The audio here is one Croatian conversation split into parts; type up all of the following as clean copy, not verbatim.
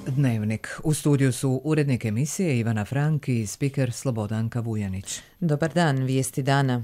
Dnevnik. U studiju su urednik emisije Ivana Frank i spiker Slobodanka Vujanić. Dobar dan, vijesti dana.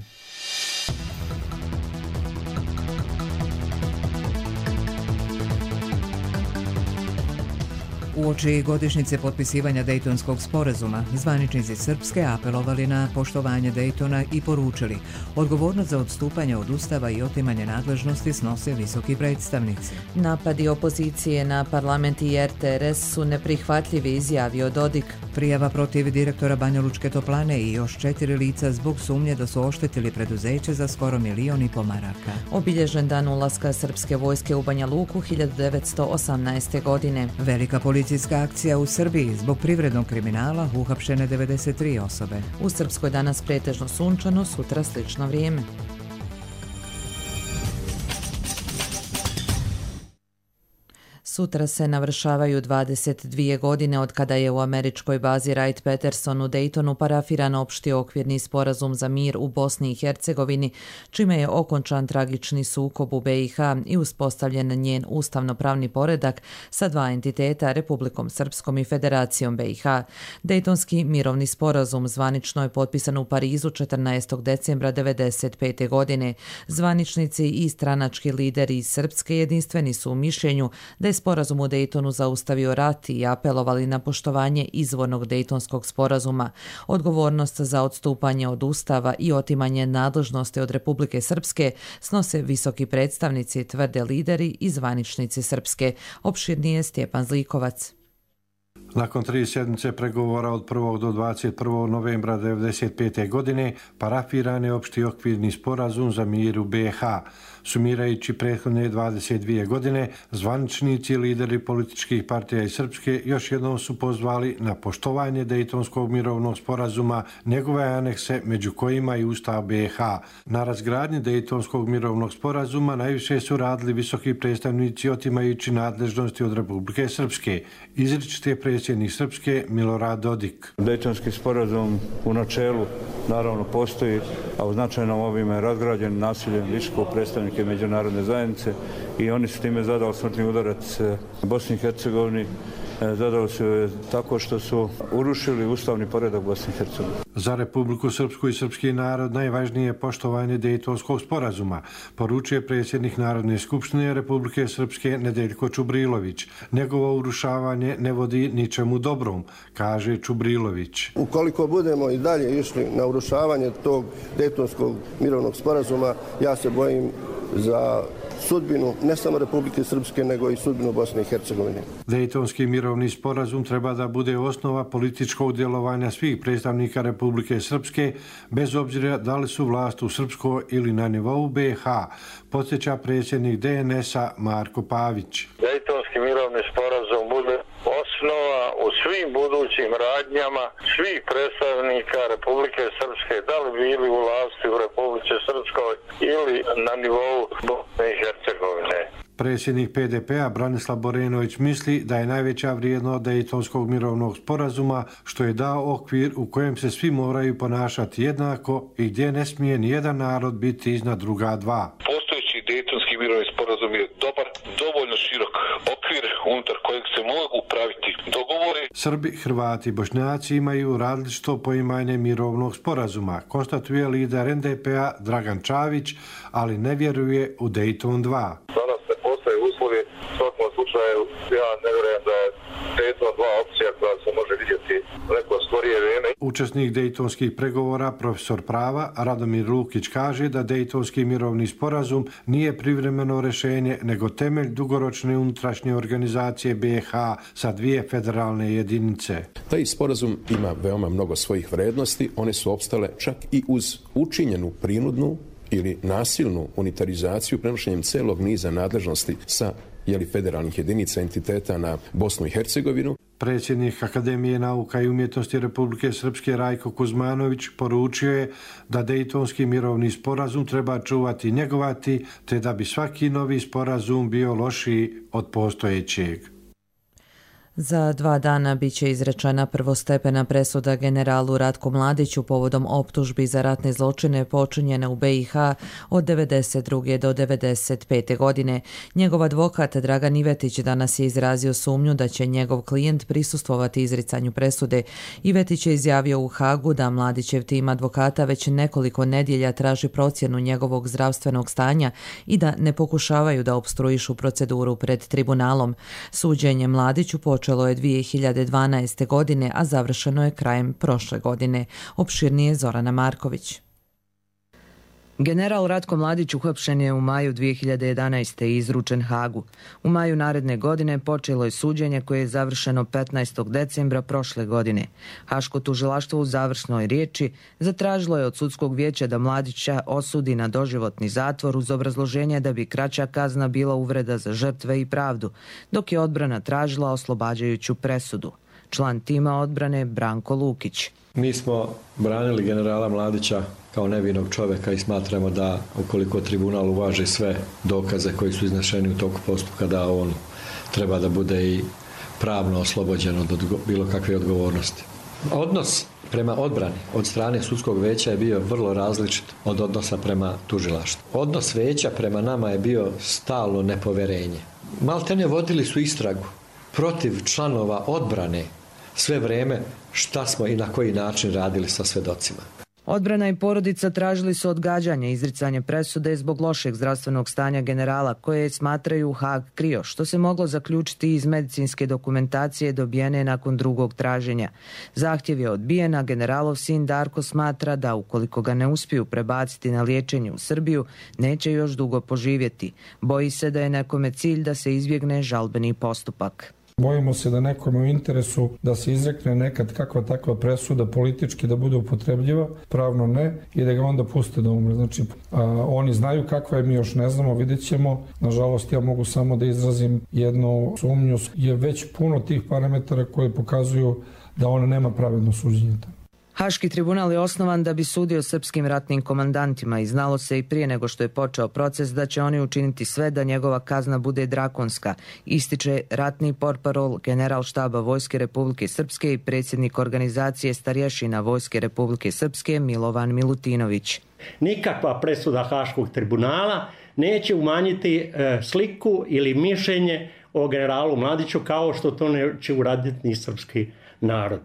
Uoči godišnjice potpisivanja Dejtonskog sporazuma, zvaničnici Srpske apelovali na poštovanje Dejtona i poručili: odgovornost za odstupanje od Ustava i otimanje nadležnosti snose visoki predstavnici. Napadi opozicije na parlament i RTRS su neprihvatljivi, izjavio Dodik. Prijava protiv direktora Banjalučke toplane i još 4 lica zbog sumnje da su oštetili preduzeće za skoro 1,5 miliona maraka. Obilježen dan ulaska srpske vojske u Banja Luku 1918. godine. Velika policijska akcija u Srbiji zbog privrednog kriminala, uhapšene 93 osobe. U Srpskoj danas pretežno sunčano, sutra slično vrijeme. Sutra se navršavaju 22 godine od kada je u američkoj bazi Wright-Patterson u Daytonu parafiran opšti okvirni sporazum za mir u Bosni i Hercegovini, čime je okončan tragični sukob u BiH i uspostavljen njen ustavno-pravni poredak sa dva entiteta, Republikom Srpskom i Federacijom BiH. Dejtonski mirovni sporazum zvanično je potpisan u Parizu 14. decembra 1995. godine. Zvaničnici i stranački lideri iz Srpske jedinstveni su u mišljenju da je sporazum u Dejtonu zaustavio rat i apelovali na poštovanje izvornog Dejtonskog sporazuma. Odgovornost za odstupanje od Ustava i otimanje nadležnosti od Republike Srpske snose visoki predstavnici, tvrde lideri i zvaničnici Srpske. Opširnije Stjepan Zlikovac. Nakon 3 sedmice pregovora od 1. do 21. novembra 1995. godine parafiran je opšti okvirni sporazum za mir u BiH. Sumirajući prethodne 22 godine, zvaničnici i lideri političkih partija iz Srpske još jednom su pozvali na poštovanje Dejtonskog mirovnog sporazuma, njegove anekse, među kojima i Ustav BiH. Na razgradnji Dejtonskog mirovnog sporazuma najviše su radili visoki predstavnici otimajući nadležnosti od Republike Srpske. Izričit je predsjednik Srpske Milorad Dodik. Dejtonski sporazum u načelu naravno postoji, a u značajnom obimu je razgrađen nasiljem visokog predstavnika međunarodne zajednice i oni su time zadali smrtni udarac Bosni i Hercegovini. Zadali su tako što su urušili ustavni poredak Bosne i Hercegovine. Za Republiku Srpsku i srpski narod najvažnije je poštovanje Dejtonskog sporazuma, poručuje predsjednik Narodne skupštine Republike Srpske Nedeljko Čubrilović. Njegovo urušavanje ne vodi ničemu dobrom, kaže Čubrilović. Ukoliko budemo i dalje išli na urušavanje tog Dejtonskog mirovnog sporazuma, ja se bojim za sudbinu ne samo Republike Srpske, nego i sudbinu Bosne i Hercegovine. Dejtonski mirovni sporazum treba da bude osnova političkog djelovanja svih predstavnika Republike Srpske, bez obzira da li su vlast u Srpskoj ili na nivou BiH, podsjeća predsjednik DNS-a Marko Pavić. Dejtonski mirovni sporazum bude osnova u svim budućim radnjama svih predstavnika Republike Srpske, da li bili u vlasti u Republike Srpskoj ili na nivou Bosne i Hercegovine. Predsjednik PDP-a Branislav Borenović misli da je najveća vrijednost Dejtonskog mirovnog sporazuma što je dao okvir u kojem se svi moraju ponašati jednako i gdje ne smije nijedan narod biti iznad druga dva. Postojeći Dejtonski mirovni sporazum je dobar, dovoljno širok okvir unutar kojeg se mogu praviti dogovori. Srbi, Hrvati i Bošnjaci imaju različito poimanje mirovnog sporazuma, konstatuje lider NDP-a Dragan Čavić, ali ne vjeruje u Dejton 2. Danas ne postoje uslovi, u svakom slučaju ja ne vjerujem da je Dejton 2 opcija koja se može vidjeti neko skorije vrijeme. Učesnik dejtonskih pregovora, profesor prava Radomir Lukić kaže da Dejtonski mirovni sporazum nije privremeno rješenje, nego temelj dugoročne unutrašnje organizacije BiH sa 2 federalne jedinice. Taj sporazum ima veoma mnogo svojih vrednosti, one su opstale čak i uz učinjenu prinudnu ili nasilnu unitarizaciju prenošenjem celog niza nadležnosti sa federalnih jedinica entiteta na Bosnu i Hercegovinu. Predsjednik Akademije nauka i umjetnosti Republike Srpske Rajko Kuzmanović poručio je da Dejtonski mirovni sporazum treba čuvati i njegovati, te da bi svaki novi sporazum bio lošiji od postojećeg. Za 2 dana bit će izrečena prvostepena presuda generalu Ratku Mladiću povodom optužbi za ratne zločine počinjene u BiH od 1992. do 1995. godine. Njegov advokat Dragan Ivetić danas je izrazio sumnju da će njegov klijent prisustvovati izricanju presude. Ivetić je izjavio u Hagu da Mladićev tim advokata već nekoliko nedjelja traži procjenu njegovog zdravstvenog stanja i da ne pokušavaju da opstruišu proceduru pred tribunalom. Suđenje Mladiću počelo je 2012. godine, a završeno je krajem prošle godine. Opširnije Zorana Marković. General Ratko Mladić uhapšen je u maju 2011. i izručen Hagu. U maju naredne godine počelo je suđenje koje je završeno 15. decembra prošle godine. Haško tužilaštvo u završnoj riječi zatražilo je od sudskog vijeća da Mladića osudi na doživotni zatvor uz obrazloženje da bi kraća kazna bila uvreda za žrtve i pravdu, dok je odbrana tražila oslobađajuću presudu. Član tima odbrane Branko Lukić. Mi smo branili generala Mladića kao nevinog čovjeka i smatramo da ukoliko tribunal uvaži sve dokaze koji su iznešeni u toku postupka, da on treba da bude i pravno oslobođen od bilo kakve odgovornosti. Odnos prema odbrani od strane sudskog veća je bio vrlo različit od odnosa prema tužilaštvu. Odnos veća prema nama je bio stalno nepoverenje. Maltene vodili su istragu protiv članova odbrane sve vrijeme šta smo i na koji način radili sa svjedocima. Odbrana i porodica tražili su odgađanje izricanje presude zbog lošeg zdravstvenog stanja generala koje smatraju Hag krio, što se moglo zaključiti iz medicinske dokumentacije dobijene nakon drugog traženja. Zahtjev je odbijen, a generalov sin Darko smatra da ukoliko ga ne uspiju prebaciti na liječenje u Srbiju, neće još dugo poživjeti. Boji se da je nekome cilj da se izbjegne žalbeni postupak. Bojimo se da nekome u interesu da se izrekne nekad kakva takva presuda politički da bude upotrebljiva, pravno ne, i da ga onda puste da umre. Znači, oni znaju kakva je, mi još ne znamo, vidjet ćemo. Nažalost, ja mogu samo da izrazim jednu sumnju. Je već puno tih parametara koji pokazuju da ona nema pravedno suđenje. Haški tribunal je osnovan da bi sudio srpskim ratnim komandantima i znalo se i prije nego što je počeo proces da će oni učiniti sve da njegova kazna bude drakonska, ističe ratni portparol general štaba Vojske Republike Srpske i predsjednik organizacije starješina Vojske Republike Srpske Milovan Milutinović. Nikakva presuda Haškog tribunala neće umanjiti sliku ili mišljenje o generalu Mladiću kao što to neće uraditi ni srpski narod.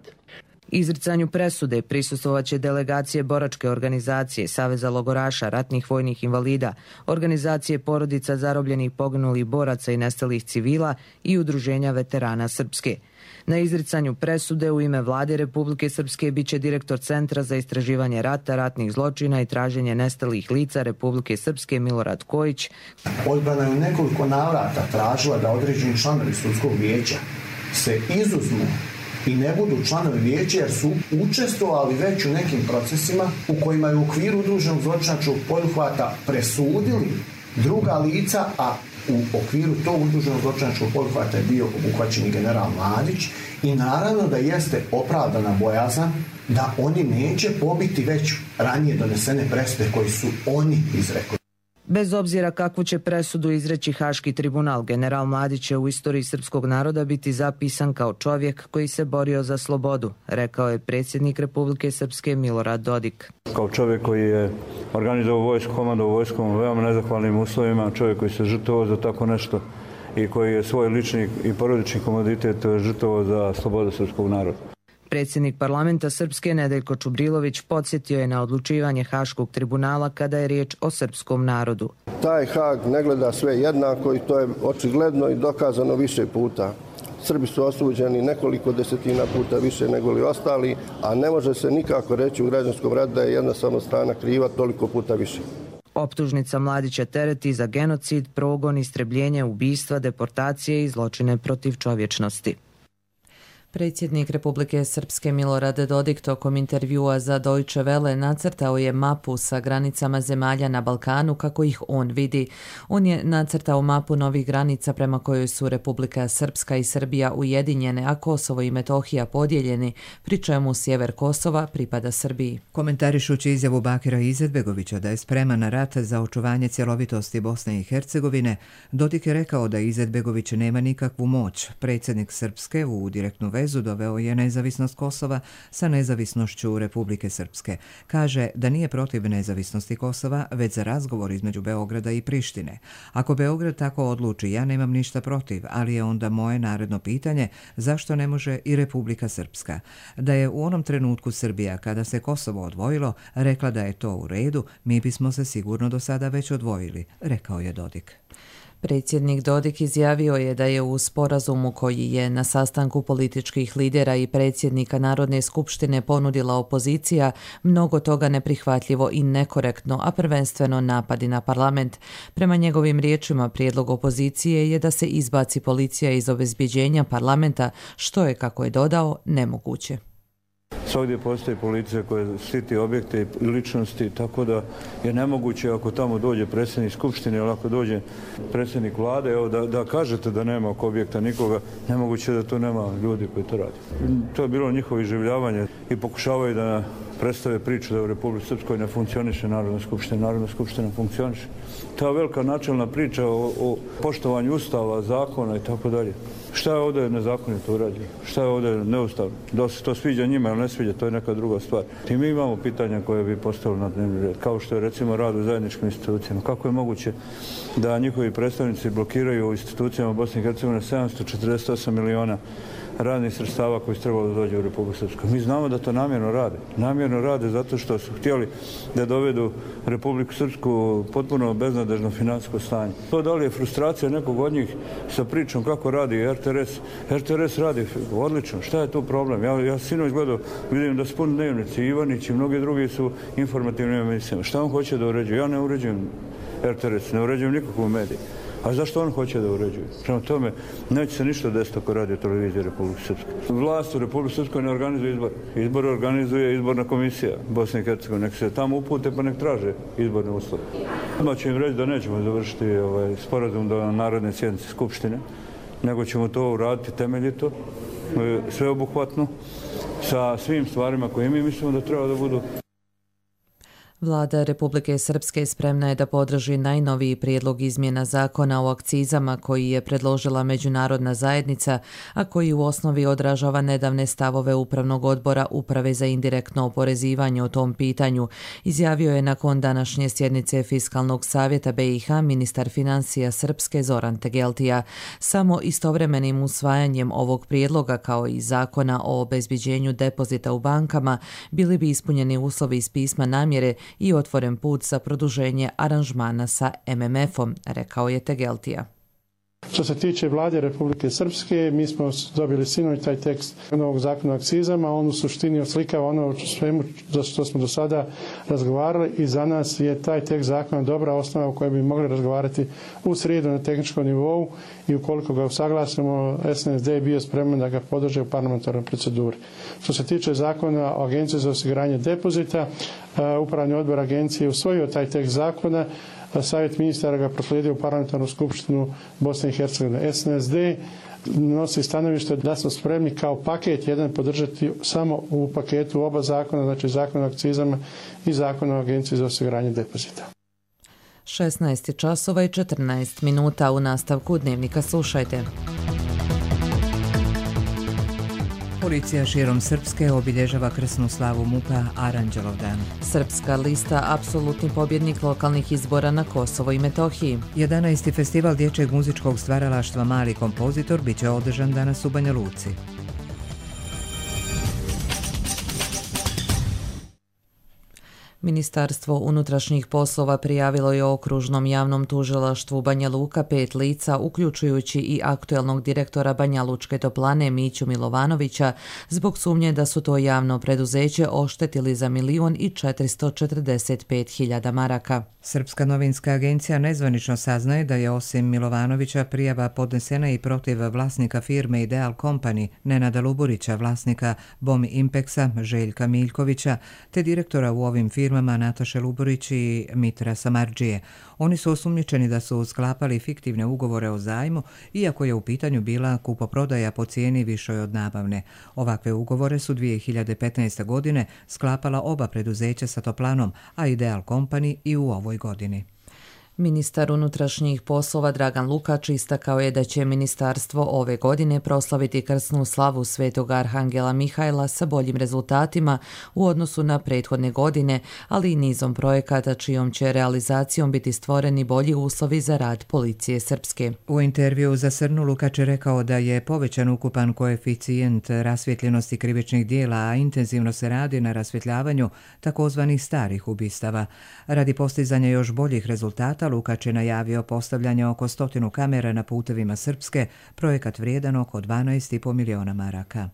Izricanju presude prisustvovaće delegacije boračke organizacije, Saveza logoraša, ratnih vojnih invalida, organizacije porodica zarobljenih poginulih boraca i nestalih civila i udruženja veterana Srpske. Na izricanju presude u ime Vlade Republike Srpske biće direktor Centra za istraživanje rata, ratnih zločina i traženje nestalih lica Republike Srpske Milorad Kojić. Odbrana je u nekoliko navrata tražila da određeni članovi sudskog vijeća se izuzmu i ne budu članovi vijeća jer su učestvovali već u nekim procesima u kojima je u okviru udruženog zločinačkog poduhvata presudili druga lica, a u okviru tog udruženog zločinačkog poduhvata je bio obuhvaćen i general Mladić i naravno da jeste opravdana bojazan da oni neće pobiti već ranije donesene presude koji su oni izrekli. Bez obzira kakvu će presudu izreći Haški tribunal, general Mladić će u istoriji srpskog naroda biti zapisan kao čovjek koji se borio za slobodu, rekao je predsjednik Republike Srpske Milorad Dodik. Kao čovjek koji je organizovao vojsku, komandovao vojskom u veoma nezahvalnim uslovima, čovjek koji se žrtvovao za tako nešto i koji je svoj lični i porodični komoditet žrtvovao za slobodu srpskog naroda. Predsjednik parlamenta Srpske Nedeljko Čubrilović podsjetio je na odlučivanje Haškog tribunala kada je riječ o srpskom narodu. Taj Hag ne gleda sve jednako i to je očigledno i dokazano više puta. Srbi su osuđeni nekoliko desetina puta više nego li ostali, a ne može se nikako reći u građanskom ratu da je jedna samo strana kriva toliko puta više. Optužnica Mladića tereti za genocid, progon, istrebljenje, ubistva, deportacije i zločine protiv čovječnosti. Predsjednik Republike Srpske Milorad Dodik tokom intervjua za Deutsche Welle nacrtao je mapu sa granicama zemalja na Balkanu kako ih on vidi. On je nacrtao mapu novih granica prema kojoj su Republika Srpska i Srbija ujedinjene, a Kosovo i Metohija podijeljeni, pri čemu sjever Kosova pripada Srbiji. Komentarišući izjavu Bakira Izetbegovića da je spreman na rat za očuvanje cjelovitosti Bosne i Hercegovine, Dodik je rekao da Izetbegović nema nikakvu moć. Predsjednik Srpske u direktnu vezu doveo je nezavisnost Kosova sa nezavisnošću Republike Srpske. Kaže da nije protiv nezavisnosti Kosova, već za razgovor između Beograda i Prištine. Ako Beograd tako odluči, ja nemam ništa protiv, ali je onda moje naredno pitanje zašto ne može i Republika Srpska. Da je u onom trenutku Srbija, kada se Kosovo odvojilo, rekla da je to u redu, mi bismo se sigurno do sada već odvojili, rekao je Dodik. Predsjednik Dodik izjavio je da je u sporazumu koji je na sastanku političkih lidera i predsjednika Narodne skupštine ponudila opozicija mnogo toga neprihvatljivo i nekorektno, a prvenstveno napadi na parlament. Prema njegovim riječima, prijedlog opozicije je da se izbaci policija iz obezbjeđenja parlamenta, što je, kako je dodao, nemoguće. Svugdje postoji policija koja štiti objekte i ličnosti, tako da je nemoguće ako tamo dođe predsjednik skupštine ili ako dođe predsjednik vlade, evo, da kažete da nema oko objekta nikoga, nemoguće da to nema ljudi koji to radi. To je bilo njihovo iživljavanje i pokušavaju da predstave priču da u Republici Srpskoj ne funkcioniše Narodna skupština. Narodna skupština funkcioniše. Ta velika načelna priča o poštovanju ustava, zakona i tako dalje. Šta je ovdje nezakonito urađeno? Šta je ovdje neustavno? Da se to sviđa njima ili ne sviđa, to je neka druga stvar. I mi imamo pitanja koje bi postavili na dnevni red, kao što je recimo rad u zajedničkim institucijama. Kako je moguće da njihovi predstavnici blokiraju u institucijama Bosne i Hercegovine 748 miliona radnih sredstava koji su trebali da dođe u Republiku Srpsku? Mi znamo da to namjerno rade. Namjerno rade zato što su htjeli da dovedu Republiku Srpsku potpuno beznadežno financijsko stanje. To da li je frustracija nekog od njih sa pričom kako radi RTRS? RTRS radi odlično. Šta je tu problem? Ja sinoć gledao, vidim da su puni dnevnici, Ivanić i mnogi drugi su informativnim emisijama. Šta on hoće da uređuje? Ja ne uređujem RTRS, ne uređujem nikakvu mediju. A zašto on hoće da uređuje? Prema tome, neće se ništa desiti ako radio televizije Republike Srpske. Vlast u Republike Srpskoj ne organizuje izbor. Izbor organizuje izborna komisija Bosne i Hercegovine. Nek se tamo upute pa nek traže izborne uslove. Odmah ću im reći da nećemo završiti sporazum do naredne sjednice Skupštine, nego ćemo to uraditi temeljito, sveobuhvatno, sa svim stvarima koje mi mislimo da treba da budu. Vlada Republike Srpske spremna je da podrži najnoviji prijedlog izmjena zakona o akcizama koji je predložila međunarodna zajednica, a koji u osnovi odražava nedavne stavove Upravnog odbora Uprave za indirektno oporezivanje o tom pitanju, izjavio je nakon današnje sjednice Fiskalnog savjeta BiH ministar financija Srpske Zoran Tegeltija. Samo istovremenim usvajanjem ovog prijedloga kao i zakona o obezbjeđenju depozita u bankama bili bi ispunjeni uslovi iz pisma namjere i otvoren put za produženje aranžmana sa MMF-om, rekao je Tegeltija. Što se tiče vlade Republike Srpske, mi smo dobili sinoć taj tekst novog zakona o akcizama, on u suštini oslikava ono svemu za što smo do sada razgovarali i za nas je taj tekst zakona dobra osnova u kojoj bi mogli razgovarati u srijedu na tehničkom nivou i ukoliko ga usaglasimo, SNSD je bio spreman da ga podrže u parlamentarnoj proceduri. Što se tiče zakona o Agenciji za osiguranje depozita, Upravni odbor agencije je usvojio taj tekst zakona, Savjet ministara ga proslijedio u parlamentarnu skupštinu Bosne i Hercegovine. SNSD nosi stanovište da smo spremni kao paket jedan podržati samo u paketu oba zakona, znači zakon o akcizama i zakon o Agenciji za osiguranje depozita. 16 časova i 14 minuta u nastavku dnevnika slušajte. Policija širom Srpske obilježava krsnu slavu MUP-a Aranđelovdan. Srpska lista apsolutni pobjednik lokalnih izbora na Kosovo i Metohiji. 11. festival dječjeg muzičkog stvaralaštva Mali kompozitor biće održan danas u Banja Luci. Ministarstvo unutrašnjih poslova prijavilo je okružnom javnom tužilaštvu Banja Luka 5 lica, uključujući i aktuelnog direktora Banja Lučke toplane Miću Milovanovića, zbog sumnje da su to javno preduzeće oštetili za 1.445.000 maraka. Srpska novinska agencija nezvanično saznaje da je osim Milovanovića prijava podnesena i protiv vlasnika firme Ideal Company Nenada Luburića, vlasnika Bom Impexa Željka Miljkovića, te direktora u ovim firmama Nataše Luburić i Mitra Samardžije. Oni su osumnjičeni da su sklapali fiktivne ugovore o zajmu, iako je u pitanju bila kupoprodaja po cijeni višoj od nabavne. Ovakve ugovore su 2015. godine sklapala oba preduzeća sa Toplanom, a Ideal Company i u ovoj godini. Ministar unutrašnjih poslova Dragan Lukač istakao je da će ministarstvo ove godine proslaviti krsnu slavu Svetog Arhangela Mihajla sa boljim rezultatima u odnosu na prethodne godine, ali i nizom projekata čijom će realizacijom biti stvoreni bolji uslovi za rad policije srpske. U intervju za Srnu Lukač je rekao da je povećan ukupan koeficijent rasvjetljenosti krivičnih dijela, a intenzivno se radi na rasvjetljavanju takozvanih starih ubistava. Radi postizanja još boljih rezultata, Lukač je najavio postavljanje oko 100 kamera na putevima Srpske, projekat vrijedan oko 12,5 miliona maraka.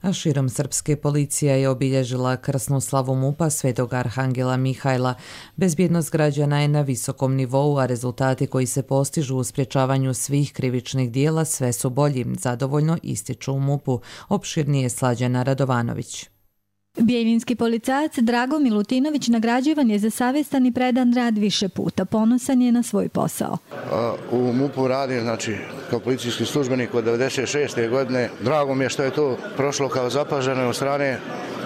A širom Srpske policija je obilježila krsnu slavu MUP-a Svetog Arhangela Mihajla. Bezbjednost građana je na visokom nivou, a rezultati koji se postižu u sprječavanju svih krivičnih dijela sve su bolji, zadovoljno ističu u MUP-u. Opširnije Slađana Radovanović. Bijeljinski policajac Drago Milutinović nagrađivan je za savjestan i predan rad više puta. Ponosan je na svoj posao. U MUP-u radim, kao policijski službenik od 96. godine. Drago mi je što je to prošlo kao zapaženo od strane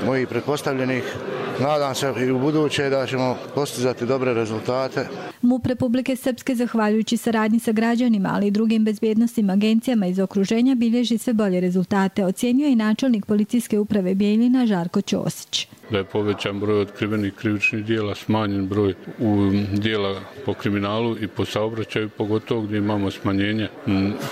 mojih pretpostavljenih. Nadam se i u buduće da ćemo postizati dobre rezultate. MUP Republike Srpske, zahvaljujući saradnji sa građanima, ali i drugim bezbjednostnim agencijama iz okruženja, bilježi sve bolje rezultate, ocjenjuje i načelnik policijske uprave Bijeljina Žarko Ćosić. Da je povećan broj otkrivenih krivičnih dijela, smanjen broj dijela po kriminalu i po saobraćaju, pogotovo gdje imamo smanjenje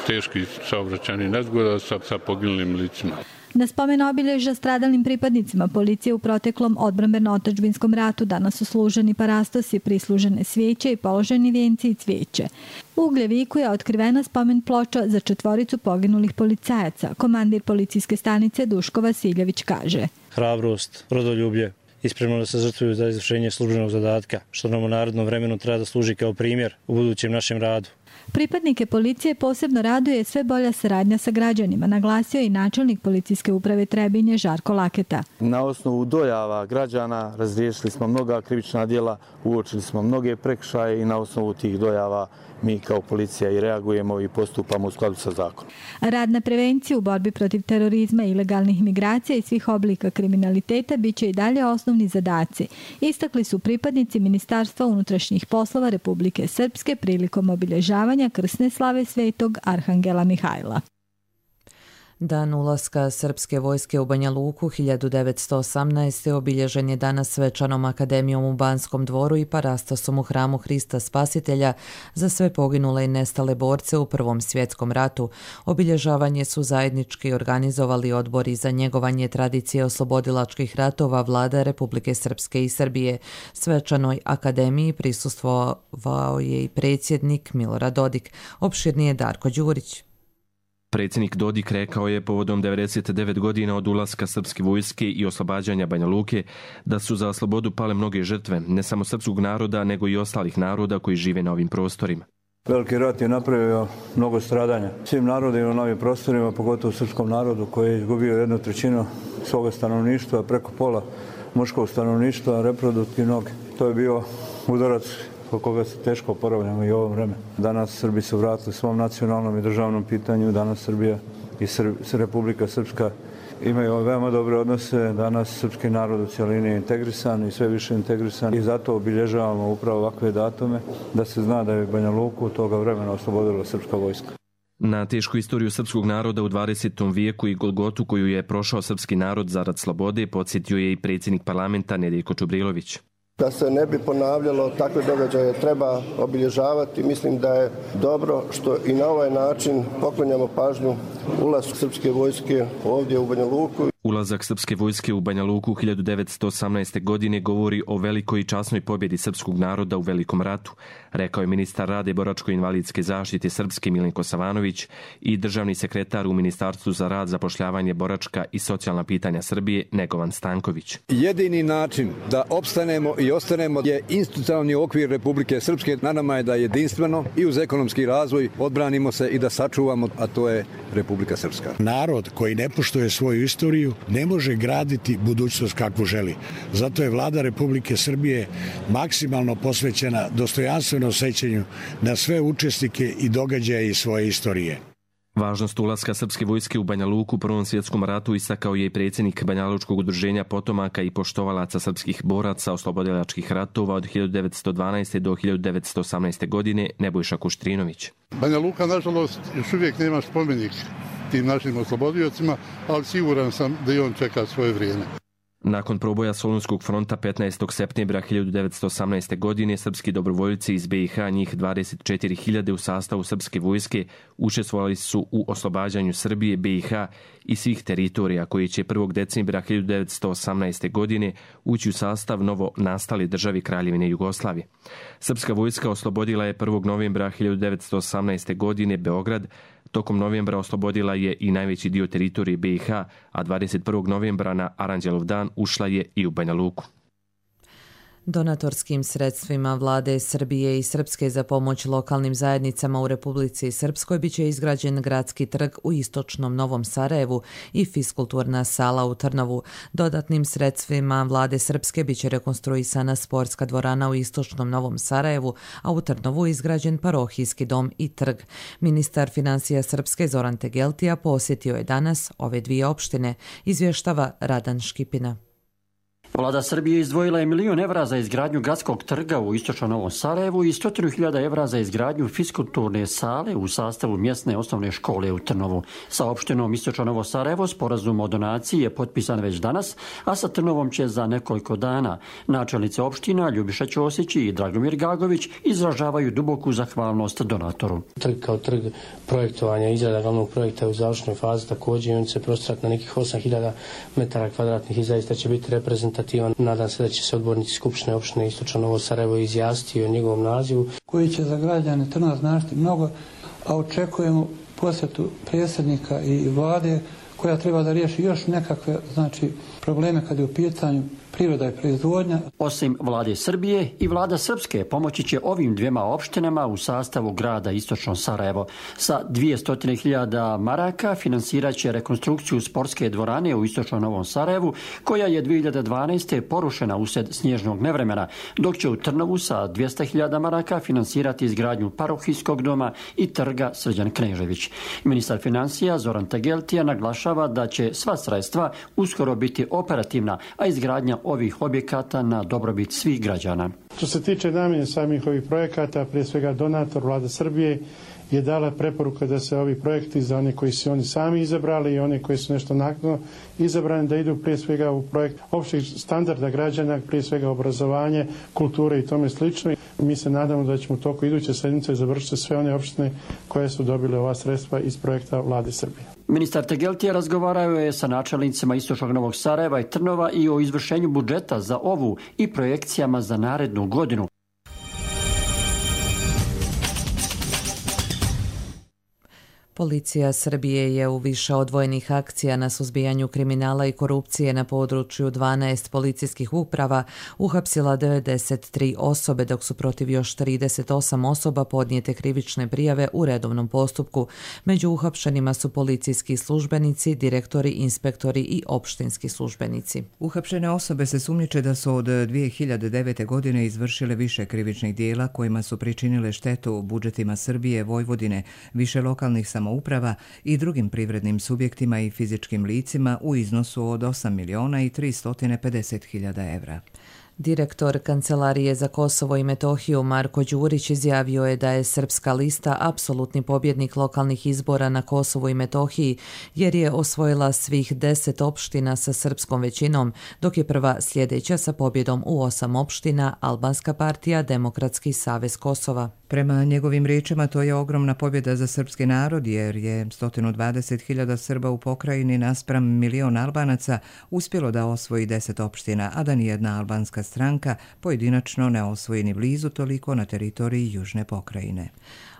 teških saobraćajnih nezgoda sa poginulim licima. Na spomen obilježja stradalim pripadnicima policije u proteklom odbrambeno-otadžbinskom ratu danas su služeni parastosi, prislužene svijeće i položeni vijenci i cvijeće. U Ugljeviku je otkrivena spomen ploča za 4 poginulih policajaca. Komandir policijske stanice Duško Vasiljević kaže: Hrabrost, rodoljublje i spremno da se žrtvuju za izvršenje službenog zadatka, što nam u narodnom vremenu treba da služi kao primjer u budućem našem radu. Pripadnike policije posebno raduje sve bolja saradnja sa građanima, naglasio i načelnik policijske uprave Trebinje Žarko Laketa. Na osnovu dojava građana razriješili smo mnoga krivična djela, uočili smo mnoge prekršaje i na osnovu tih dojava mi kao policija i reagujemo i postupamo u skladu sa zakonom. Rad na prevenciju u borbi protiv terorizma, ilegalnih migracija i svih oblika kriminaliteta biće i dalje osnovni zadaci. Istakli su pripadnici Ministarstva unutrašnjih poslova Republike Srpske prilikom obilježavanja krsne slave Svetog Arhangela Mihajla. Dan ulaska srpske vojske u Banja Luku 1918. obilježen je danas svečanom akademijom u Banskom dvoru i parastosom u hramu Hrista Spasitelja za sve poginule i nestale borce u Prvom svjetskom ratu. Obilježavanje su zajednički organizovali odbori za njegovanje tradicije oslobodilačkih ratova Vlada Republike Srpske i Srbije. Svečanoj akademiji prisustvovao je i predsjednik Milorad Dodik. Opširnije Darko Đurić. Predsjednik Dodik rekao je povodom 99 godina od ulaska srpske vojske i oslobađanja Banja Luke da su za slobodu pale mnoge žrtve, ne samo srpskog naroda, nego i ostalih naroda koji žive na ovim prostorima. Veliki rat je napravio mnogo stradanja svim narodima na ovim prostorima, pogotovo srpskom narodu koji je izgubio 1/3 svoga stanovništva, preko pola muškog stanovništva, reproduktivnog. To je bio udarac po koga se teško oporavljamo i u ovom vremenu. Danas Srbi su vratili svom nacionalnom i državnom pitanju, danas Srbija i Republika Srpska imaju veoma dobre odnose, danas srpski narod u cijelini je integrisan i sve više integrisan i zato obilježavamo upravo ovakve datume da se zna da je Banja Luku toga vremena oslobodila srpska vojska. Na tešku istoriju srpskog naroda u 20. vijeku i golgotu koju je prošao srpski narod zarad slobode podsjetio je i predsjednik parlamenta Nedjeljko Čubrilović. Da se ne bi ponavljalo, takve događaje treba obilježavati. Mislim da je dobro što i na ovaj način poklonjamo pažnju ulasku srpske vojske ovdje u Banja Luku. Ulazak srpske vojske u Banja Luku 1918. godine govori o velikoj i časnoj pobjedi srpskog naroda u Velikom ratu, rekao je ministar rada i boračko-invalidske zaštite Srpske Milenko Savanović i državni sekretar u Ministarstvu za rad, zapošljavanje, boračka i socijalna pitanja Srbije Negovan Stanković. Jedini način da opstanemo i ostanemo je institucionalni okvir Republike Srpske. Na nama je da jedinstveno i uz ekonomski razvoj odbranimo se i da sačuvamo, a to je Republika Srpska. Narod koji ne poštuje svoju istoriju ne može graditi budućnost kakvu želi. Zato je Vlada Republike Srbije maksimalno posvećena dostojanstvenom sećanju na sve učesnike i događaje iz svoje istorije. Važnost ulaska srpske vojske u Banja Luku u Prvom svjetskom ratu istakao je i predsjednik Banjalučkog udruženja potomaka i poštovalaca srpskih boraca oslobodilačkih ratova od 1912. do 1918. godine Nebojša Kuštrinović. Banja Luka, nažalost, još uvijek nema spomenik tim našim oslobodiocima, ali siguran sam da i on čeka svoje vrijeme. Nakon proboja Solunskog fronta 15. septembra 1918. godine srpski dobrovoljci iz BiH, njih 24.000 u sastavu srpske vojske, učestvovali su u oslobađanju Srbije, BiH i svih teritorija koji će 1. decembra 1918. godine ući u sastav novo nastale državi Kraljevine Jugoslavije. Srpska vojska oslobodila je 1. novembra 1918. godine Beograd. Tokom novembra oslobodila je i najveći dio teritorije BiH, a 21. novembra na Aranđelov dan ušla je i u Banja Luku. Donatorskim sredstvima Vlade Srbije i Srpske za pomoć lokalnim zajednicama u Republici Srpskoj biće izgrađen gradski trg u istočnom Novom Sarajevu i fiskulturna sala u Trnovu. Dodatnim sredstvima Vlade Srpske biće rekonstruisana sportska dvorana u istočnom Novom Sarajevu, a u Trnovu izgrađen parohijski dom i trg. Ministar financija Srpske Zoran Tegeltija posjetio je danas ove dvije opštine, izvještava Radan Škipina. Vlada Srbije izdvojila je €1 milion za izgradnju gradskog trga u istočnom Novom Sarajevu i 100.000 € za izgradnju fiskulturne sale u sastavu mjesne osnovne škole u Trnovu. Sa opštinom istočno Novo Sarajevo sporazum o donaciji je potpisan već danas, a sa Trnovom će za nekoliko dana. Načelnice opština Ljubiša Ćosić i Dragomir Gagović izražavaju duboku zahvalnost donatoru. Trg kao trg projektovanja, izrada glavnog projekta u završnoj fazi također, on će prostirati na nekih 8.000 m2 i zaista će biti reprezentativan. Nadam se da će se odbornici Skupštine opštine istočno Novo Sarajevo izjasniti o njegovom nazivu. Koji će za građane Trnava značiti mnogo, a očekujemo posjetu predsjednika i vlade koja treba da riješi još nekakve probleme kad je u pitanju priroda i proizvodnja. Osim Vlade Srbije i Vlada Srpske pomoći će ovim dvijema opštinama u sastavu grada istočno Sarajevo. Sa 200.000 maraka finansirat će rekonstrukciju sportske dvorane u istočnom Novom Sarajevu, koja je 2012. porušena usred snježnog nevremena, dok će u Trnovu sa 200.000 maraka finansirati izgradnju parohijskog doma i trga Srđan Knežević. Ministar financija Zoran Tegeltija naglašava da će sva sredstva uskoro biti operativna, a izgradnja ovih objekata na dobrobit svih građana. Što se tiče namjene samih ovih projekata, prije svega donator Vlada Srbije je dala preporuka da se ovi projekti za one koji su oni sami izabrali i one koji su nešto naknadno izabrani da idu prije svega u projekt opštih standarda građana, prije svega obrazovanje, kulture i tome slično. Mi se nadamo da ćemo u toku iduće sedmice završiti sve one opštine koje su dobile ova sredstva iz projekta Vlade Srbije. Ministar Tegeltija razgovarao je sa načelnicima istočnog Novog Sarajeva i Trnova i o izvršenju budžeta za ovu i projekcijama za narednu godinu. Policija Srbije je u više odvojenih akcija na suzbijanju kriminala i korupcije na području 12 policijskih uprava uhapsila 93 osobe, dok su protiv još 38 osoba podnijete krivične prijave u redovnom postupku. Među uhapšenima su policijski službenici, direktori, inspektori i opštinski službenici. Uhapšene osobe se sumnjiče da su od 2009. godine izvršile više krivičnih dijela kojima su pričinile štetu u budžetima Srbije, Vojvodine, više lokalnih samouprava i drugim privrednim subjektima i fizičkim licima u iznosu od 8.350.000 € Direktor Kancelarije za Kosovo i Metohiju Marko Đurić izjavio je da je Srpska lista apsolutni pobjednik lokalnih izbora na Kosovu i Metohiji, jer je osvojila svih 10 opština sa srpskom većinom, dok je prva sljedeća sa pobjedom u 8 opština Albanska partija Demokratski savez Kosova. Prema njegovim riječima to je ogromna pobjeda za srpski narod jer je 120.000 Srba u pokrajini naspram 1.000.000 Albanaca uspjelo da osvoji 10 opština, a da nijedna albanska stranka pojedinačno ne osvoji ni blizu toliko na teritoriji južne pokrajine.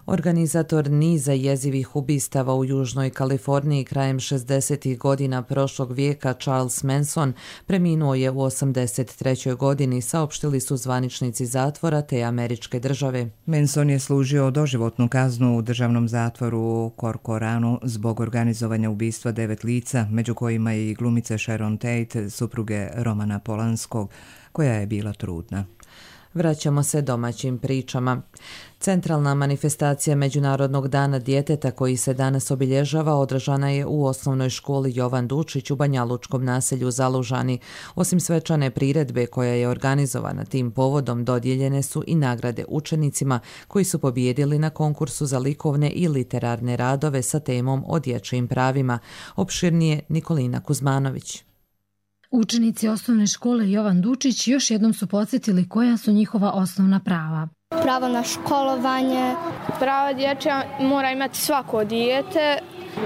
Organizator niza jezivih ubistava u Južnoj Kaliforniji krajem 60. godina prošlog vijeka Charles Manson preminuo je u 83. godini, saopštili su zvaničnici zatvora te američke države. Manson je služio doživotnu kaznu u državnom zatvoru u Corcoranu zbog organizovanja ubistva 9 lica, među kojima i glumice Sharon Tate, supruge Romana Polanskog, koja je bila trudna. Vraćamo se domaćim pričama. Centralna manifestacija Međunarodnog dana djeteta koji se danas obilježava održana je u osnovnoj školi Jovan Dučić u Banjalučkom naselju Zalužani. Osim svečane priredbe koja je organizovana tim povodom, dodijeljene su i nagrade učenicima koji su pobijedili na konkursu za likovne i literarne radove sa temom o dječjim pravima. Opširnije Nikolina Kuzmanović. Učenici osnovne škole Jovan Dučić još jednom su podsjetili koja su njihova osnovna prava. Pravo na školovanje. Pravo dječja mora imati svako dijete.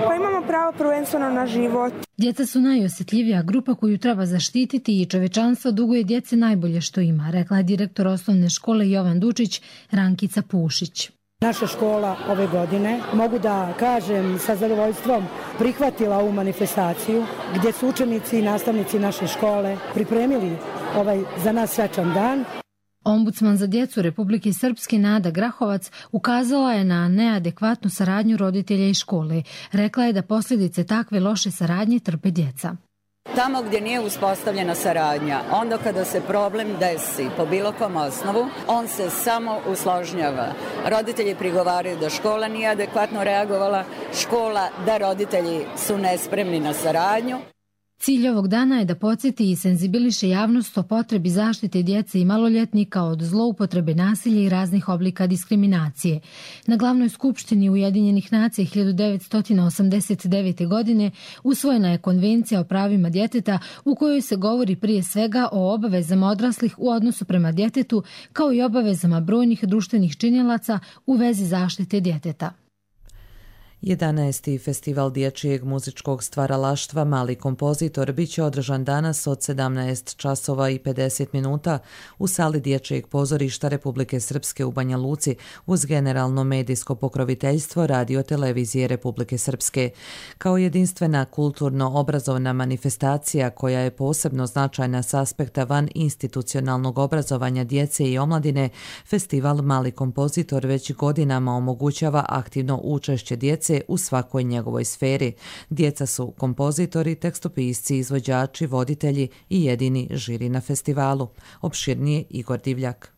Pa imamo pravo prvenstveno na život. Djeca su najosjetljivija grupa koju treba zaštititi i čovečanstvo duguje djeci najbolje što ima, rekla je direktor osnovne škole Jovan Dučić Rankica Pušić. Naša škola ove godine, mogu da kažem sa zadovoljstvom, prihvatila ovu manifestaciju gdje su učenici i nastavnici naše škole pripremili ovaj za nas svečan dan. Ombudsman za djecu Republike Srpske Nada Grahovac ukazala je na neadekvatnu saradnju roditelja i škole. Rekla je da posljedice takve loše saradnje trpe djeca. Tamo gdje nije uspostavljena saradnja, onda kada se problem desi po bilo kom osnovu, on se samo usložnjava. Roditelji prigovaraju da škola nije adekvatno reagovala, škola da roditelji su nespremni na saradnju. Cilj ovog dana je da podsjeti i senzibiliše javnost o potrebi zaštite djece i maloljetnika od zloupotrebe nasilja i raznih oblika diskriminacije. Na glavnoj skupštini Ujedinjenih nacija 1989. godine usvojena je Konvencija o pravima djeteta u kojoj se govori prije svega o obavezama odraslih u odnosu prema djetetu kao i obavezama brojnih društvenih činilaca u vezi zaštite djeteta. 11. festival dječjeg muzičkog stvaralaštva Mali kompozitor biće održan danas od 17 časova i 50 minuta u sali Dječjeg pozorišta Republike Srpske u Banja Luci uz generalno medijsko pokroviteljstvo Radio televizije Republike Srpske. Kao jedinstvena kulturno-obrazovna manifestacija koja je posebno značajna s aspekta van institucionalnog obrazovanja djece i omladine, festival Mali kompozitor već godinama omogućava aktivno učešće djece u svakoj njegovoj sferi. Djeca su kompozitori, tekstopisci, izvođači, voditelji i jedini žiri na festivalu. Opširnije Igor Divljak.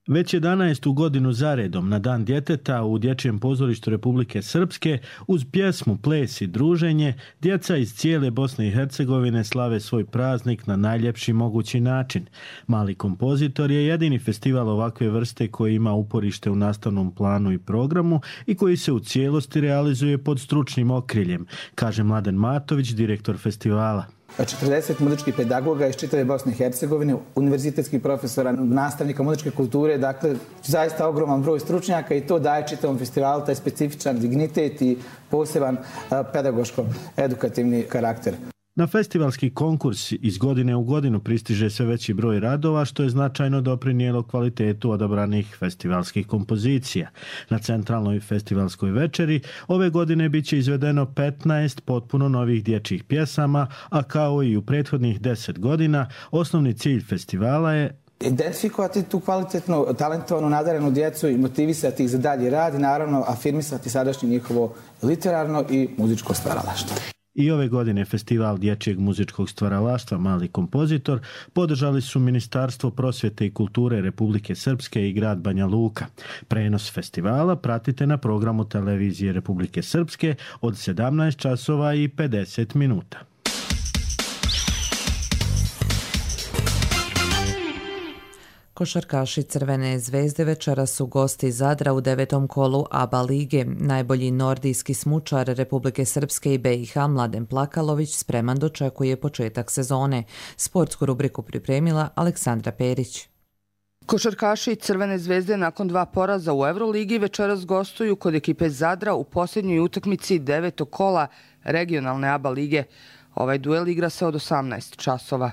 Već 11. godinu zaredom na Dan djeteta u Dječjem pozorištu Republike Srpske uz pjesmu, ples i druženje djeca iz cijele Bosne i Hercegovine slave svoj praznik na najljepši mogući način. Mali kompozitor je jedini festival ovakve vrste koji ima uporište u nastavnom planu i programu i koji se u cijelosti realizuje pod stručnim okriljem, kaže Mladen Matović, direktor festivala. 40 muzičkih pedagoga iz čitave Bosne i Hercegovine, univerzitetskih profesora, nastavnika muzičke kulture, dakle zaista ogroman broj stručnjaka i to daje čitavom festivalu taj specifičan dignitet i poseban pedagoško-edukativni karakter. Na festivalski konkurs iz godine u godinu pristiže sve veći broj radova, što je značajno doprinijelo kvalitetu odabranih festivalskih kompozicija. Na centralnoj festivalskoj večeri ove godine biće izvedeno 15 potpuno novih dječjih pjesama, a kao i u prethodnih 10 godina, osnovni cilj festivala je identifikovati tu kvalitetnu, talentovanu, nadarenu djecu i motivisati ih za dalji rad i naravno afirmisati sadašnje njihovo literarno i muzičko stvaralaštvo. I ove godine festival dječjeg muzičkog stvaralaštva Mali kompozitor podržali su Ministarstvo prosvjete i kulture Republike Srpske i grad Banja Luka. Prenos festivala pratite na programu televizije Republike Srpske od 17 časova i 50 minuta. Košarkaši Crvene zvezde večera su gosti Zadra u 9. kolu ABA lige. Najbolji nordijski smučar Republike Srpske i BiH Mladen Plakalović spreman dočekuje početak sezone. Sportsku rubriku pripremila Aleksandra Perić. Košarkaši Crvene zvezde nakon 2 poraza u Euroligi večeras gostuju kod ekipe Zadra u posljednjoj utakmici 9. kola regionalne ABA lige. Ovaj duel igra se od 18 časova.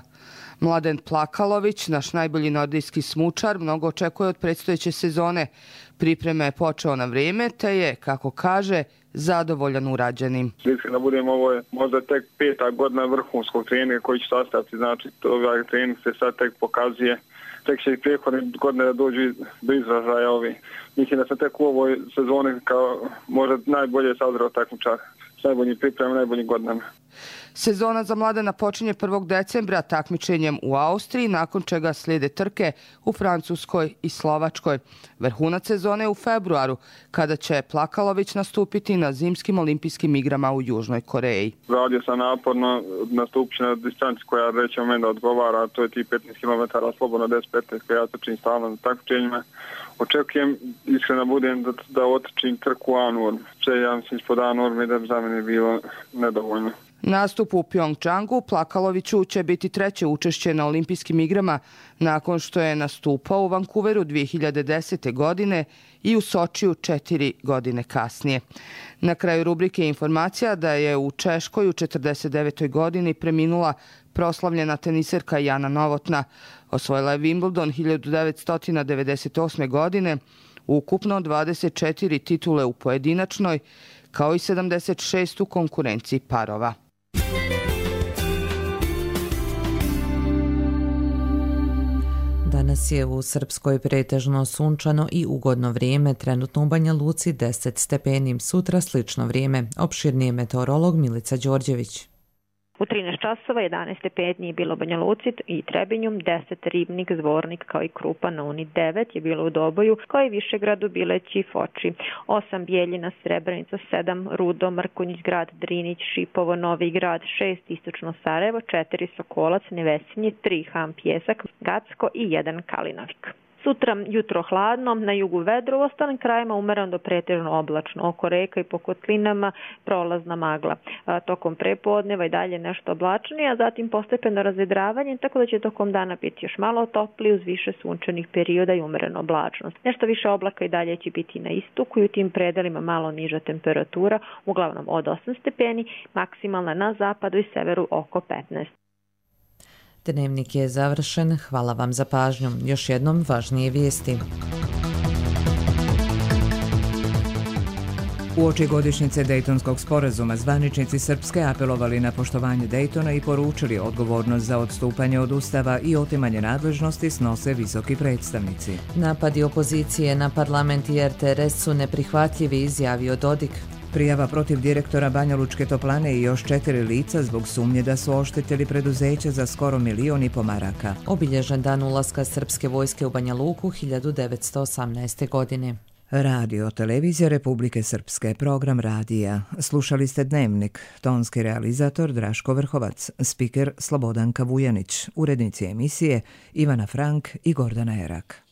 Mladen Plakalović, naš najbolji nordijski smučar, mnogo očekuje od predstojeće sezone. Pripreme je počeo na vrijeme, te je, kako kaže, zadovoljan urađenim. Da budemo, ovo je možda tek 5. godina vrhunskog treninga koji će sastaviti, znači ovaj trening se sad tek pokazuje. Tek će i prijehodne godine da dođu do izražaja ovi. Mislim da sam tek u ovoj sezoni kao možda najbolje sazreo takmičar. S najboljim pripremama, najboljim godinama. Sezona za Mladena počinje 1. decembra takmičenjem u Austriji, nakon čega slijede trke u Francuskoj i Slovačkoj. Vrhunac sezone u februaru, kada će Plakalović nastupiti na zimskim olimpijskim igrama u Južnoj Koreji. Radio sam naporno, nastupit na distanci koja rećemo meni da odgovara, to je ti 15 km slobodno 10-15 koja ja trčim stalno na takmičenjima. Očekujem, iskreno budem, da otrčim trku A-norm. Ja mislim ispod A-norme da bi za mene bilo nedovoljno. Nastup u Pjongčangu Plakaloviću će biti 3. učešće na olimpijskim igrama nakon što je nastupao u Vancouveru 2010. godine i u Sočiju 4 godine kasnije. Na kraju rubrike informacija da je u Češkoj u 49. godini preminula proslavljena teniserka Jana Novotna. Osvojila je Wimbledon 1998. godine, ukupno 24 titule u pojedinačnoj, kao i 76 u konkurenciji parova. Danas je u Srpskoj pretežno sunčano i ugodno vrijeme, trenutno u Banja Luci 10 stepeni, sutra slično vrijeme. Opširnije meteorolog Milica Đorđević. U 13 časova 11 stepeni je bilo u Banja Luci i Trebinjom, 10 Ribnik, Zvornik kao i Krupa na Uni, 9 je bilo u Doboju kao i Višegradu, Bileći i Foči, 8 Bijeljina, Srebrenica, 7 Rudo, Mrkonjić grad, Drinić, Šipovo, Novi grad, 6 Istočno Sarajevo, 4 Sokolac, Nevesinje, 3 Ham Pjesak, Gacko i 1 Kalinovik. Sutra jutro hladno, na jugu vedro, u ostalim krajima umereno do pretežno oblačno. Oko reka i po kotlinama prolazna magla. Tokom prepodneva i dalje nešto oblačnije, a zatim postepeno razvedravanje, tako da će tokom dana biti još malo toplije uz više sunčanih perioda i umereno oblačnost. Nešto više oblaka i dalje će biti na istoku i u tim predelima malo niža temperatura, uglavnom od 8 stepeni, maksimalna na zapadu i severu oko 15. Dnevnik je završen. Hvala vam za pažnju. Još jednom važnije vijesti. Uoči godišnjice Dejtonskog sporazuma zvaničnici Srpske apelovali na poštovanje Dejtona i poručili odgovornost za odstupanje od Ustava i otimanje nadležnosti snose visoki predstavnici. Napadi opozicije na parlament i RTRS su neprihvatljivi, izjavio Dodik. Prijava protiv direktora Banjalučke toplane i još 4 lica zbog sumnje da su oštetili preduzeće za skoro 1,5 miliona maraka. Obilježen dan ulaska srpske vojske u Banja Luku 1918. godine. Radio Televizija Republike Srpske, program radija. Slušali ste Dnevnik, tonski realizator Draško Vrhovac, spiker Slobodanka Vujanić, urednici emisije Ivana Frank i Gordana Erak.